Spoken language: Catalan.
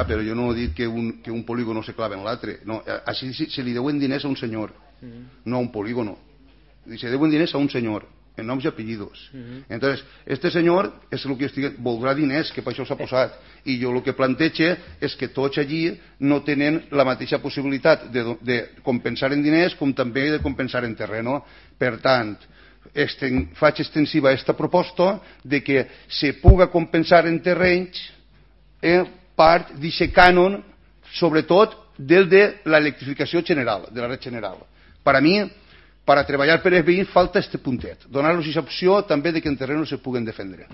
però jo no he dit que un polígon no se clava en l'altre. No, així se li deuen diners a un senyor, no a un polígono. Se deuen diners a un senyor, en noms i apellidos. Entonces, este senyor és el que voldrà diners, que per això s'ha posat. I jo el que plantejo és que tots allí no tenen la mateixa possibilitat de compensar en diners com també de compensar en terreno. Per tant, faig extensiva aquesta proposta de que se puga compensar en terrenys part d'aquest cànon, sobretot del de l'electrificació general, de la red general. Per a mi, per a treballar per els veïns falta este puntet, donar-los aquesta opció també de que en terreno se puguen defendre.